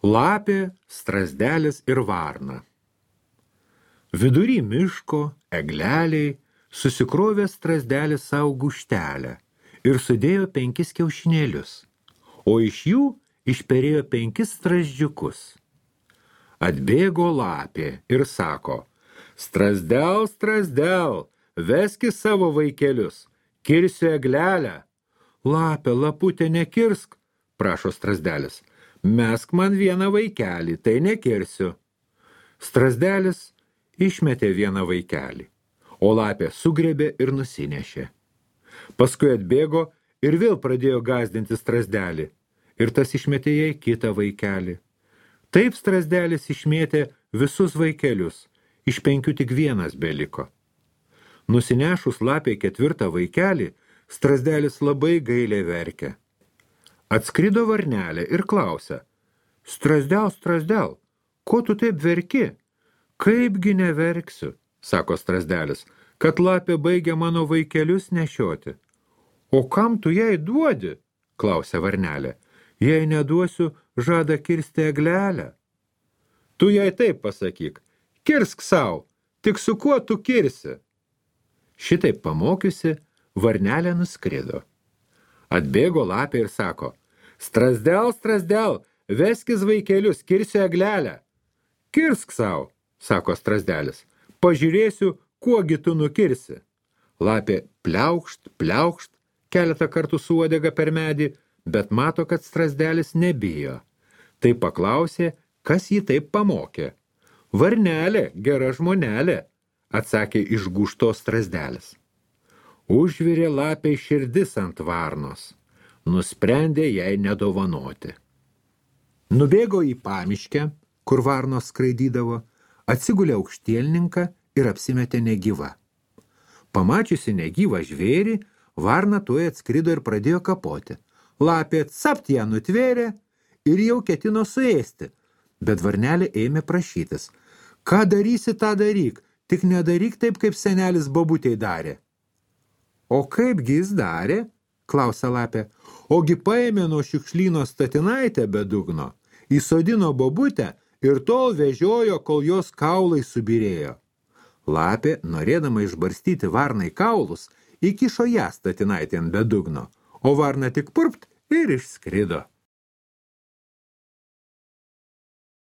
Lapė, strazdelis ir varna. Vidury miško, egleliai, susikrovė strazdelis savo guštelę ir sudėjo 5 kiaušinėlius, o iš jų išperėjo 5 strazdžiukus. Atbėgo lapė ir sako: Strazdel, strazdel, veski savo vaikelius, kirsiu eglelę. Lapė, laputė, nekirsk, prašo strazdelis. Mesk man vieną vaikelį, tai nekirsiu. Strazdelis išmetė vieną vaikelį, o lapė sugrebė ir nusinešė. Paskui atbėgo ir vėl pradėjo gąsdinti strazdelį, ir tas išmetė jai kitą vaikelį. Taip strazdelis išmėtė visus vaikelius, iš 5 tik vienas beliko. Nusinešus lapė 4 vaikelį, strazdelis labai gailiai verkė. Atskrido varnelė ir klausia: Strazdel, strazdel, ko tu taip verki? Kaipgi neverksiu, sako strazdelis, kad lapė baigia mano vaikelius nešioti. O kam tu jai duodi? Klausia varnelė. Jei neduosiu, žada kirsti eglelę. Tu jai taip pasakyk: kirsk sau, tik su kuo tu kirsi? Šitaip pamokiusi, varnelė nuskrido. Atbėgo lapė ir sako: Strazdel, strazdel, veskis vaikelius, kirsiu eglelę. Kirsk sau, sako strazdelis, pažiūrėsiu, kuogi tu nukirsi. Lapė pliaukšt, pliaukšt, keletą kartų su uodega per medį, bet mato, kad strazdelis nebijo. Tai paklausė, kas jį taip pamokė. Varnelė, gera žmonelė, atsakė išgūžtos strazdelis. Užvirė lapė širdis ant varnos, nusprendė jai nedovanoti. Nubėgo į pamiškę, kur varnos skraidydavo, atsigulė aukštielninką ir apsimetė negyva. Pamačiusi negyvą žvėrį, varna tuoj atskrido ir pradėjo kapoti. Lapė capt ją nutvėrė ir jau ketino suėsti, bet varnelė ėmė prašytis. Ką darysi, tą daryk, tik nedaryk taip, kaip senelis bobutei darė. O kaipgi jis darė? Klausia lapė. Ogi paėmė nuo šiukšlyno statinaitę be dugno, įsodino bobutę ir tol vežiojo, kol jos kaulai subirėjo. Lapė, norėdama išbarstyti varnai kaulus, įkišo ją statinaitėn be dugno, o varna tik purpt ir išskrido.